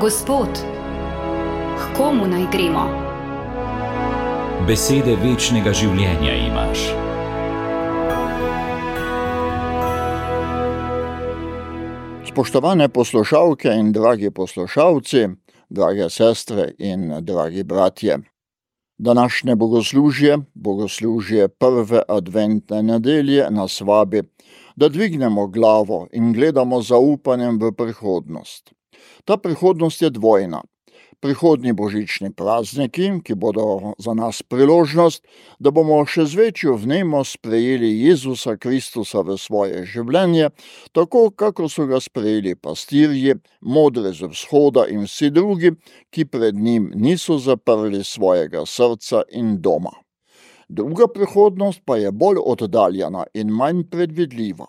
Gospod, k komu naj gremo? Besede večnega življenja imaš. Spoštovane poslušalke in dragi poslušalci, drage sestre in dragi bratje. Današnje bogoslužje prve adventne nedelje nas vabi, da dvignemo glavo in gledamo z zaupanjem v prihodnost. Ta prihodnost je dvojna. Prihodnji božični prazniki, ki bodo za nas priložnost, da bomo še z večjo vnemo sprejeli Jezusa Kristusa v svoje življenje, tako kako so ga sprejeli pastirji, modri z vzhoda in vsi drugi, ki pred njim niso zaprli svojega srca in doma. Druga prihodnost pa je bolj oddaljena in manj predvidljiva.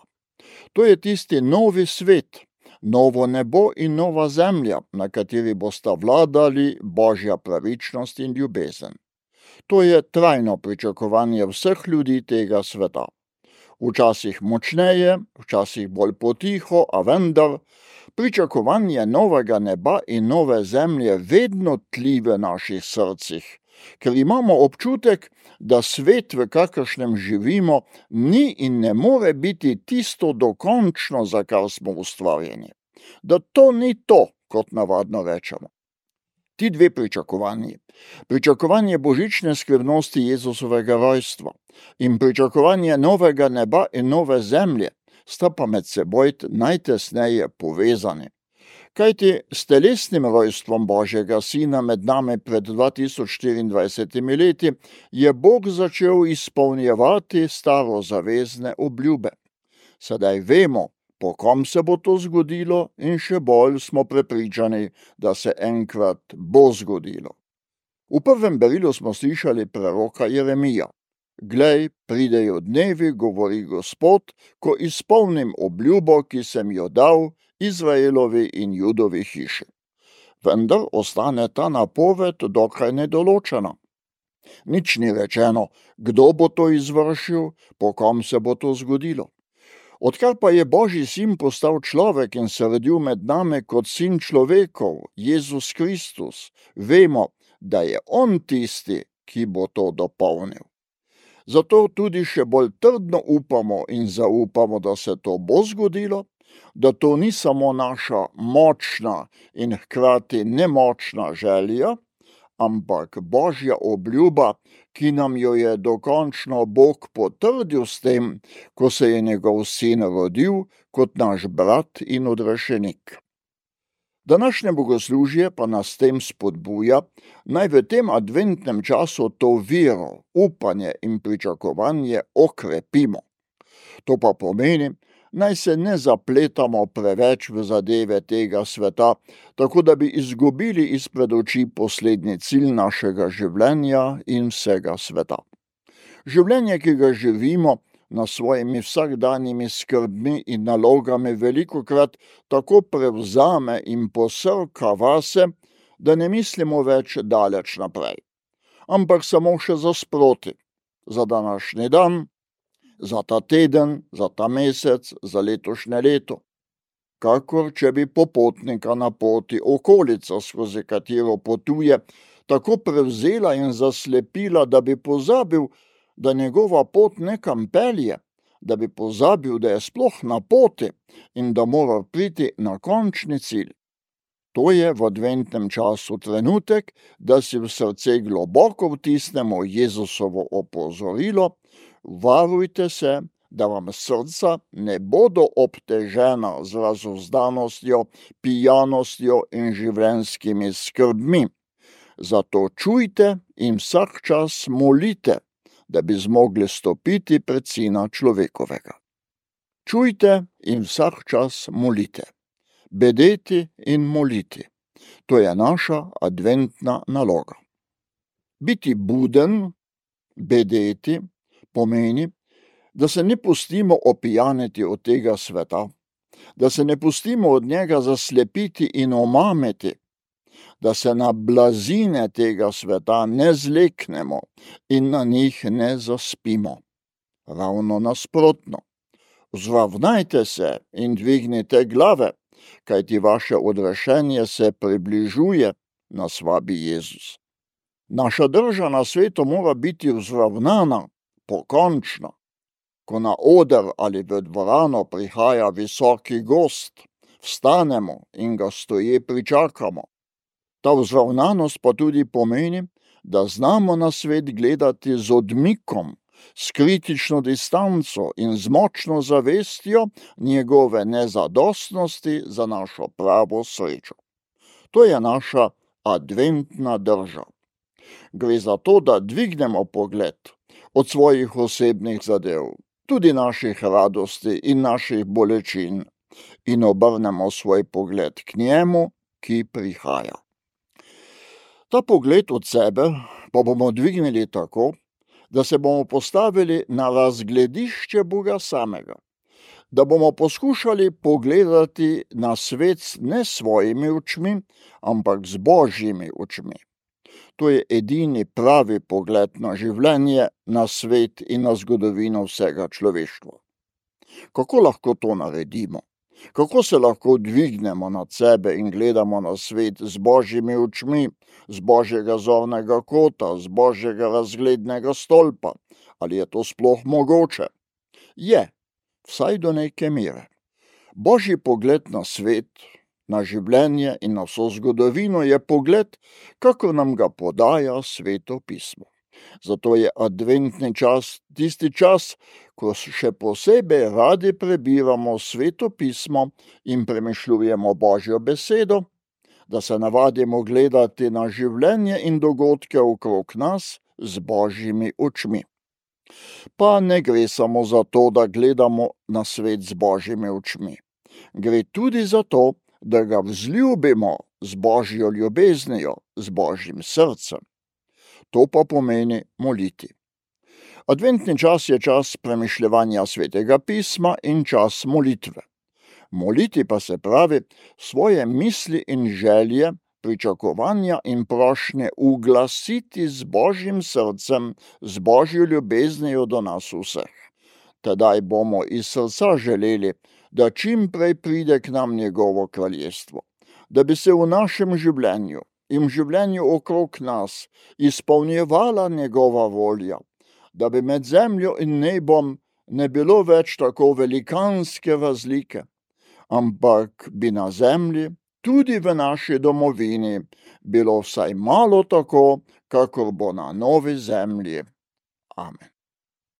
To je tisti novi svet, novo nebo in nova zemlja, na kateri bosta vladali Božja pravičnost in ljubezen. To je trajno pričakovanje vseh ljudi tega sveta. Včasih močneje, včasih bolj potiho, a vendar pričakovanje novega neba in nove zemlje vedno tli v naših srcih, ker imamo občutek, da svet, v kakršnem živimo, ni in ne more biti tisto dokončno, za kar smo ustvarjeni. Da to ni to, kot navadno rečemo. Ti dve pričakovanji, pričakovanje božične skrivnosti Jezusovega rojstva in pričakovanje novega neba in nove zemlje, sta pa med seboj najtesneje povezani. Kajti s telesnim rojstvom Božjega Sina med nami pred 2024 leti je Bog začel izpolnjevati starozavezne obljube. Sedaj vemo, po kom se bo to zgodilo, in še bolj smo prepričani, da se enkrat bo zgodilo. V prvem berilu smo slišali preroka Jeremija. Glej, pridejo dnevi, govori Gospod, ko izpolnim obljubo, ki sem jo dal Izraelovi in Judovi hiši. Vendar ostane ta napoved dokaj nedoločena. Nič ni rečeno, kdo bo to izvršil, po kom se bo to zgodilo. Odkar pa je Božji sin postal človek in se rodil med nami kot sin človekov, Jezus Kristus, vemo, da je on tisti, ki bo to dopolnil. Zato tudi še bolj trdno upamo in zaupamo, da se to bo zgodilo, da to ni samo naša močna in hkrati nemočna želja, ampak Božja obljuba, ki nam jo je dokončno Bog potrdil s tem, ko se je njegov sin rodil kot naš brat in odrešenik. Današnje bogoslužje pa nas tem spodbuja, naj v tem adventnem času to vero, upanje in pričakovanje okrepimo. To pa pomeni, naj se ne zapletamo preveč v zadeve tega sveta, tako da bi izgubili izpred oči poslednji cilj našega življenja in vsega sveta. Življenje, ki ga živimo, na svojimi vsakdanjimi skrbmi in nalogami velikokrat tako prevzame in posrka vase, da ne mislimo več daleč naprej, ampak samo še za sproti, za današnji dan, za ta teden, za ta mesec, za letošnje leto. Kakor če bi popotnika na poti okolica, skozi katero potuje, tako prevzela in zaslepila, da bi pozabil, da njegova pot nekam pelje, da bi pozabil, da je sploh na poti in da mora priti na končni cilj. To je v adventnem času trenutek, da si v srce globoko vtisnemo Jezusovo opozorilo: varujte se, da vam srca ne bodo obtežena z razuzdanostjo, pijanostjo in življenjskimi skrbmi. Zato čujte in vsak čas molite, da bi zmogli stopiti pred Sina človekovega. Čujte in vsak čas molite. Bedeti in moliti. To je naša adventna naloga. Biti buden, bedeti, pomeni, da se ne pustimo opijaniti od tega sveta, da se ne pustimo od njega zaslepiti in omamiti, da se na blazine tega sveta ne zleknemo in na njih ne zaspimo. Ravno nasprotno. Vzravnajte se in dvignite glave, kajti vaše odrešenje se približuje, nas vabi Jezus. Naša drža na svetu mora biti vzravnana, pokončna. Ko na oder ali v dvorano prihaja visoki gost, vstanemo in ga stoje pričakamo. Ta vzravnanost pa tudi pomeni, da znamo na svet gledati z odmikom, s kritično distanco in z močno zavestjo njegove nezadostnosti za našo pravo srečo. To je naša adventna drža. Gre za to, da dvignemo pogled od svojih osebnih zadev, tudi naših radosti in naših bolečin, in obrnemo svoj pogled k njemu, ki prihaja. Ta pogled od sebe pa bomo dvignili tako, da se bomo postavili na razgledišče Boga samega, da bomo poskušali pogledati na svet ne s svojimi očmi, ampak z Božjimi očmi. To je edini pravi pogled na življenje, na svet in na zgodovino vsega človeštva. Kako lahko to naredimo? Kako se lahko dvignemo nad sebe in gledamo na svet z Božjimi očmi, z Božjega zornega kota, z Božjega razglednega stolpa? Ali je to sploh mogoče? Je, vsaj do neke mere. Božji pogled na svet, na življenje in na vso zgodovino je pogled, kakor nam ga podaja Sveto pismo. Zato je adventni čas tisti čas, ko še posebej radi prebiramo Sveto pismo in premišljujemo Božjo besedo, da se navadimo gledati na življenje in dogodke okrog nas z Božjimi očmi. Pa ne gre samo za to, da gledamo na svet z Božjimi očmi. Gre tudi za to, da ga vzljubimo z Božjo ljubeznijo, z Božjim srcem. To pa pomeni moliti. Adventni čas je čas premišljevanja Svetega pisma in čas molitve. Moliti pa se pravi svoje misli in želje, pričakovanja in prošnje uglasiti z Božjim srcem, z Božjo ljubeznijo do nas vseh. Tedaj bomo iz srca želeli, da čim prej pride k nam njegovo kraljestvo, da bi se v našem življenju in v življenju okrog nas izpolnjevala njegova volja, da bi med zemljo in nebom ne bilo več tako velikanske razlike, ampak bi na zemlji, tudi v naši domovini, bilo vsaj malo tako, kakor bo na novi zemlji. Amen.